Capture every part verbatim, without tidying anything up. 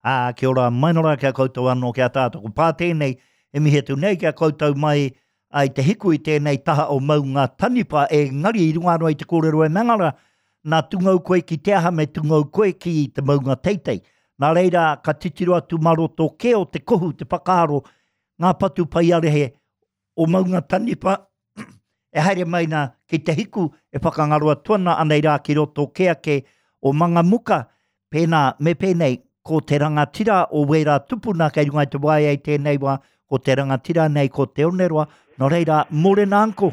Ā, kia ora mai nora kia koutou anō kia tātou. Ko pā tēnei, e mihi atu nei kia koutou mai ai te hiku i tēnei taha o Maunga Taniwha, e ngari i runga anō i te kōrero e mangara, nā tungau koe ki te aha me tungau koe ki te maunga teitei. Nā reira, ka titiro atu maroto ke o te kohu, te whakaaro, ngā patu paiarehe o Maunga Taniwha, e haere mai nā ki te hiku e whakangaro atu ana anei rā ki roto ke ake o Mangamuka, pēnā me pēnei, ko te rangatira o wērā tupuna kei runga i te waea i tēnei wā, ko te rangatira nei ko Te Oneroa, nō reira, mōrena anko.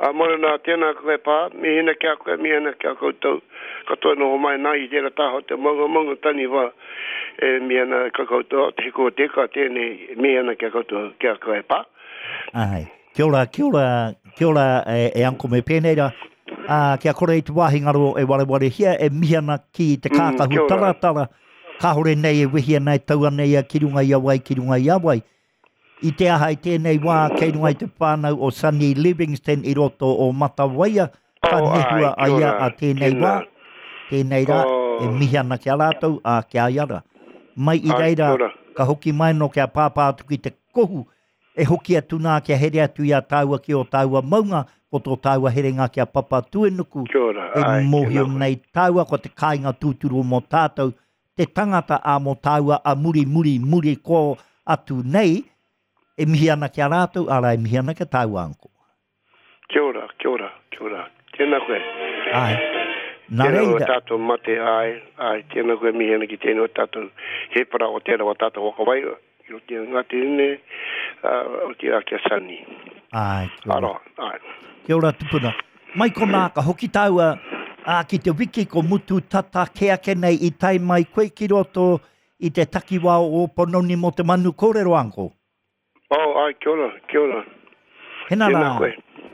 A mōrena tēnā koe pā, mihina kia koe, mihina kia koutou, katoa noho mai nā i tērā taha o te maunga maunga taniwha, e mihina ka koutou, te hiku o te ika tēnei, mihina kia koutou, kia koe pā. Ai, kia ora, kia ora, kia ora e, e anko me pēnei rā, ā, kia kore i te wāhi ngaro e warewarehia, e mihi ana ki te kākahu mm, taratara, kāhore nei e wehi ana e tau ana ia ki runga i a wai, ki runga i a wai. I te aha i tēnei wā, kei runga i te whānau o Sunny Livingston i roto o Matawaia, ka oh, nehua ai, a ia a tēnei wā, tēnei rā, oh. e mihi ana ki a rātou, a ki a ia rā. Mai i reira, ka hoki mai no kia pāpā atu ki te kohu, e hoki atu nā kia here atu i a tāua ki o tāua maunga, ko tō tāua herenga kia Papatūānuku, e mōhio nei tāua ko te kāinga tūturu mō tātou, te tangata a mō tāua a muri muri muri ko atu nei, e mihi ana ki a rātou, arā e mihi ana ki a tāua anko. Kia ora, kia ora, kia ora. Tēnā koe. Ai. Nā Tēnā reira. o tātou mate, ai, ai, tēnā koe mihi ana ki tēnei o tātou hēpara o tērā o tātou whakawairua. Ki roto i Ngāti Hine, uh, o tērā kia Sunny. Ai, kia ora. Aroha, ai. Kia ora tupuna. Mai konā ka hoki tāua ā, ki te wiki ko mutu tata ke ake nei i tae mai koe ki roto i te takiwā o Ōpanoni mō te manu kōrero anko. Oh, ai, kia ora, kia ora. Hena Tēnā rā, koe.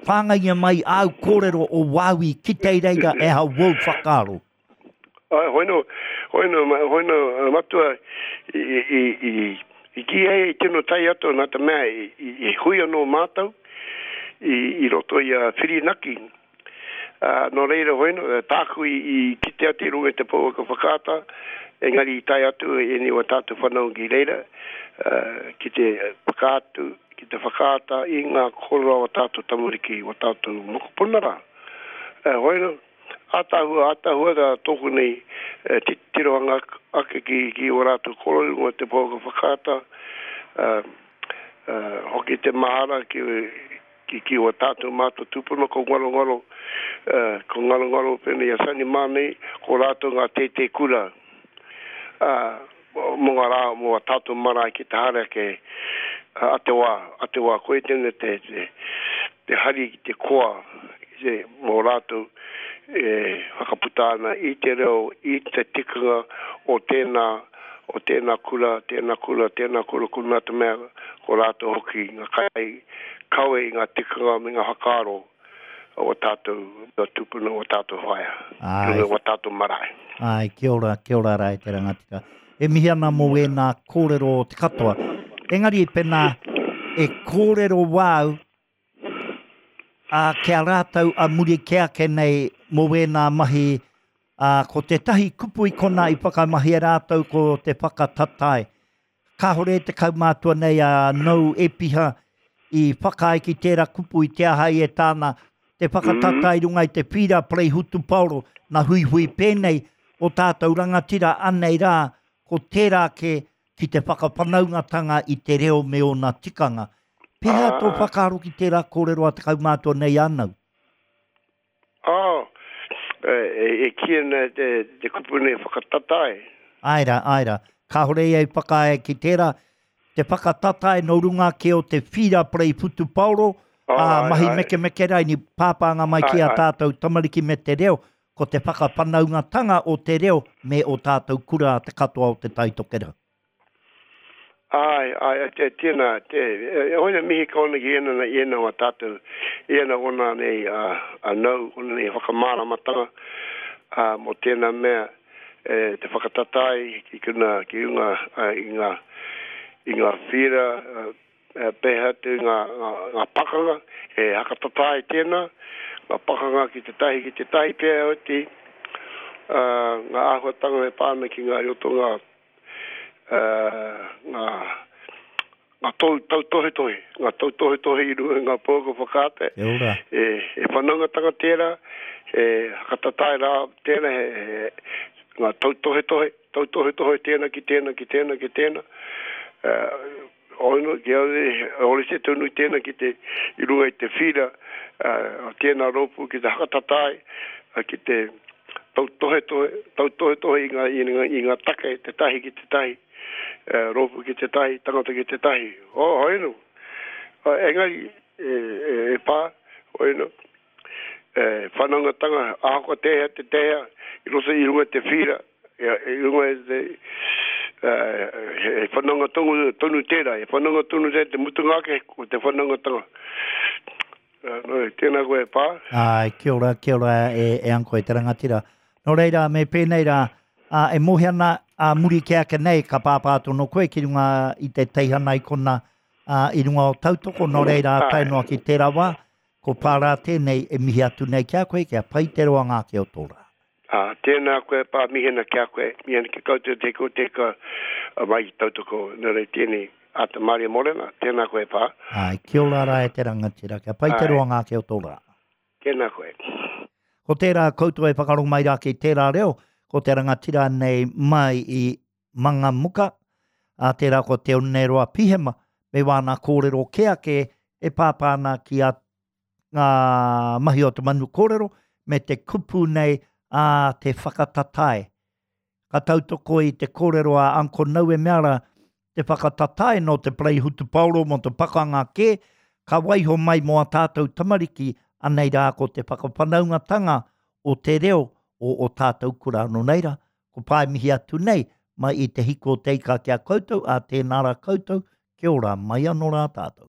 whāngaia mai āu kōrero o wāui ki te reira e hau wou whakaaro. Ai, hoino, hoino, hoino, matua, i, i, i, i ki ai i tino tai atu nā te mea i, i, i hui anō mātou i, i roto i a Whirinaki. Uh, nō reira hoino, tāku i, i kite atu i runga i te pouaka whakaata, engari i tae atu e nei o tātou whanau ki reira, uh, ki te whakaatu, ki te whakaata i ngā kōrero o tātou tamariki, o tātou mokopuna rā. Uh, hoino, ātahua, ātahua rā tōku nei uh, tirohanga ake ki, ki o rātou kōrero i runga i te pouaka whakaata, uh, uh, hoki te mahara ki, ki, ki o tātou mātou tūpuna ko ngaro ngaro, uh, ko ngaro ngaro pēnei a Sunny mā nei, ko rātou ngā tētē kura, uh, mō ngā rā, mō a tātou marae ki te haere ake, uh, a te wā, a te wā, koe tēnei te, te, te hari ki te koa, te, mō rātou e whakaputa ana i te reo, i te tikanga o tēnā, o tēnā kura, tēnā kura, tēnā kura, kura nā te mea, ko rātou hoki ngā kai, kawe i ngā tikanga me ngā whakaaro o tātou, o tūpuna, o tātou whaea, Ai. o tātou marae. Ai, kia ora, kia ora rā e te rangatira. E mihi ana mō wēnā kōrero o te katoa. Engari pēnā e kōrero wāu a kia rātou a muri ke ake nei mō wēnā mahi, a, ko tētahi kupu i kona i whakamahia rātou ko te whakatatae. Kāhore te kaumātua nei a Nou Epiha i whakaae ki tērā kupu i te aha i e tāna, te whakatatae i runga i te pīra parei hutupaoro, nā huihui pēnei o tātou rangatira anei rā, ko tērā ke ki te whakawhanaungatanga i te reo me ōna tikanga. Pēhea tō whakaaro ki tērā kōrero a te kaumātua nei anau? Oh, e, e, e ki ana te, te kupu nei whakatatae. Ai rā, ai rā. Kāhore ia i whakaae ki tērā, te whakatatae no runga ke o te whira parei whutupaoro, Oh, ā, ai, mahi ai. mekemeke rai ni pāpānga mai ki Ai, a ai. tātou tamariki me te reo, ko te whakawhanaungatanga o te reo me o tātou kura a te katoa o te Taitokerau. Ai, ai, te, tēnā, te, e, hoina mihi ka ona ki ena, ena o tātou, ena ona nei a, a nau, ona nei whakamāramatanga, a, mō tēnā mea, e, te whakatatai ki kuna, ki runga, a, i ngā, i ngā whira, a, e, pēhea atu ngā, ngā, ngā pakanga, e hakatatai tēnā, ngā pakanga ki te tahi, ki te tahi pēhea oti, a, ngā āhuatanga e pāna ki ngā roto ngā, ngā ngā tau tautohetohe, ngā tautohetohe i runga i ngā pouaka whakaata. Kia ora. E, e whanaungatanga tērā, e hakatatae rā tēnā, he, he, ngā tautohetohe, tautohetohe tēnā ki tēnā, ki tēnā, ki tēnā. Uh, Ono, ki au, ore se tonu tēnā ki te, i runga i te whira, uh, tēnā rōpū ki te hakatatae, uh, ki te tautohetohe, tautohetohe i ngā, i ngā, i ngā take, te tahi ki te tahi, uh, rōpū ki te tahi, tangata ki te tahi. Oh, hoino. Uh, engari, e, e, e pā, hoino, e, whanaungatanga, ahakoa tēhea te tēhea, i roto i runga i te whira, i, i runga i te, uh, he whanaunga tonu, tonu tērā, he whanaunga tonu tērā, te mutunga ake, ko te whanaungatanga. Uh, no, tēnā koe e pā. Ai, kia ora, kia ora e, e anko e te rangatira. Nō reira, me pēnei rā, a, e mohi ana a muri ke ake nei, ka pāpā tono koe ki runga i te teihana i kona a, i runga o tautoko, nō reira, tae noa ki tērā wā, ko pārā tēnei e mihi atu nei ki a koe, kia pai te roanga ake o tō rā. Ā, tēnā koe pā mihena ki a koe, mihena ki koutou te ko te ka mai i tautoko, nō reira tēnei, āta Maria Morena, tēnā koe pā. Ai, kia ora rā e te rangatira, kia pai te roanga ake o tō rā. Tēnā koe. Ko tērā koutou e whakarongo mai rā ki tērā reo, ko te rangatira nei mai i Mangamuka, a tērā ko Te Oneroa Pihema, me wāna kōrero kē ake e pāpā ana ki a ngā mahi o te manu kōrero, me te kupu nei a te whakatatae. Ka tautoko i te kōrero a Uncle Nau e mea rā, te whakatatae nō te parei hutupaoro mō te pakanga kē, ka waiho mai mō a tātou tamariki, anei rā ko te whakawhanaungatanga o te reo o o tātou kura. Nō reira, ko pae mihi atu nei, mai i te hiko o te ika ki a koutou, a tēnā rā koutou, kia ora mai anō rā tātou.